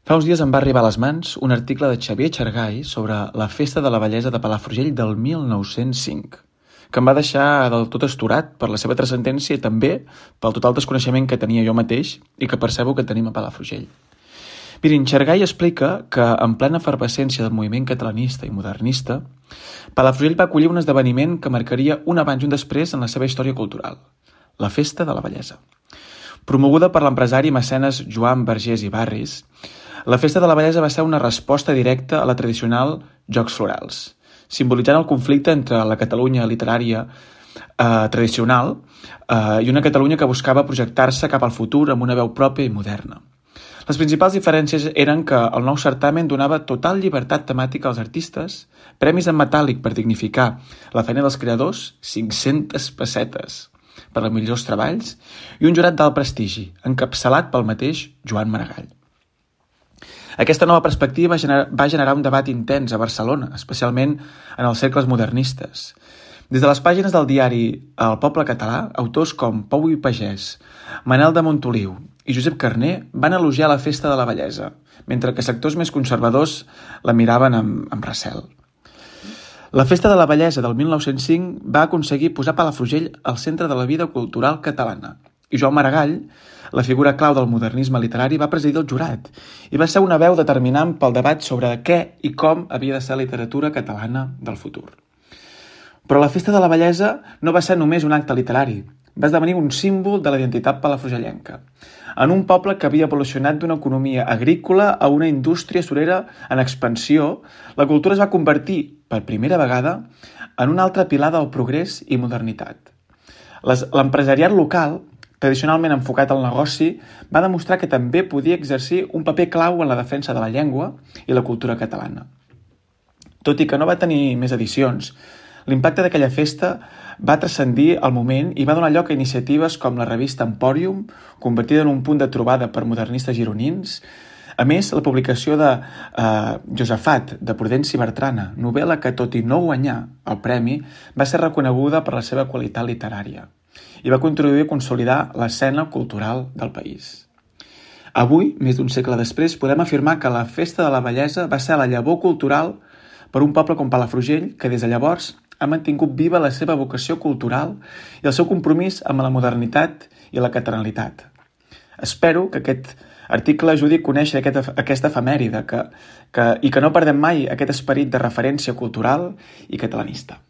Fa uns dies em va arribar a les mans un article de Xavier Xargay sobre la Festa de la Bellesa de Palafrugell del 1905, que em va deixar del tot astorat per la seva transcendència i també pel total desconeixement que tenia jo mateix i que percebo que tenim a Palafrugell. Mirin, Xargay explica que en plena efervescència del moviment catalanista i modernista, Palafrugell va acollir un esdeveniment que marcaria un abans i un després en la seva història cultural, la Festa de la Bellesa. Promoguda per l'empresari i mecenes Joan Vergés i Barris, la Festa de la Bellesa va ser una resposta directa a la tradicional Jocs Florals, simbolitzant el conflicte entre la Catalunya literària tradicional i una Catalunya que buscava projectar-se cap al futur amb una veu pròpia i moderna. Les principals diferències eren que el nou certamen donava total llibertat temàtica als artistes, premis en metàl·lic per dignificar la feina dels creadors, 500 pessetes per als millors treballs, i un jurat d'alt prestigi, encapçalat pel mateix Joan Maragall. Aquesta nova perspectiva va generar un debat intens a Barcelona, especialment en els cercles modernistes. Des de les pàgines del diari El Poble Català, autors com Pou i Pagès, Manel de Montoliu i Josep Carner van elogiar la Festa de la Bellesa, mentre que sectors més conservadors la miraven amb recel. La Festa de la Bellesa del 1905 va aconseguir posar Palafrugell al centre de la vida cultural catalana, i Joan Maragall, la figura clau del modernisme literari, va presidir el jurat i va ser una veu determinant pel debat sobre què i com havia de ser la literatura catalana del futur. Però la Festa de la Bellesa no va ser només un acte literari, va esdevenir un símbol de la identitat palafrugellenca. En un poble que havia evolucionat d'una economia agrícola a una indústria surera en expansió, la cultura es va convertir, per primera vegada, en un altre pilar del progrés i modernitat. L'empresariat local, tradicionalment enfocat al negoci, va demostrar que també podia exercir un paper clau en la defensa de la llengua i la cultura catalana. Tot i que no va tenir més edicions, l'impacte d'aquella festa va transcendir el moment i va donar lloc a iniciatives com la revista Empòrium, convertida en un punt de trobada per modernistes gironins. A més, la publicació de Josafat, de Prudenci Bertrana, novel·la que, tot i no guanyar el premi, va ser reconeguda per la seva qualitat literària i va contribuir a consolidar l'escena cultural del país. Avui, més d'un segle després, podem afirmar que la Festa de la Bellesa va ser la llavor cultural per un poble com Palafrugell, que des de llavors ha mantingut viva la seva vocació cultural i el seu compromís amb la modernitat i la catalanitat. Espero que aquest article ajudi a conèixer aquesta efemèride i que no perdem mai aquest esperit de referència cultural i catalanista.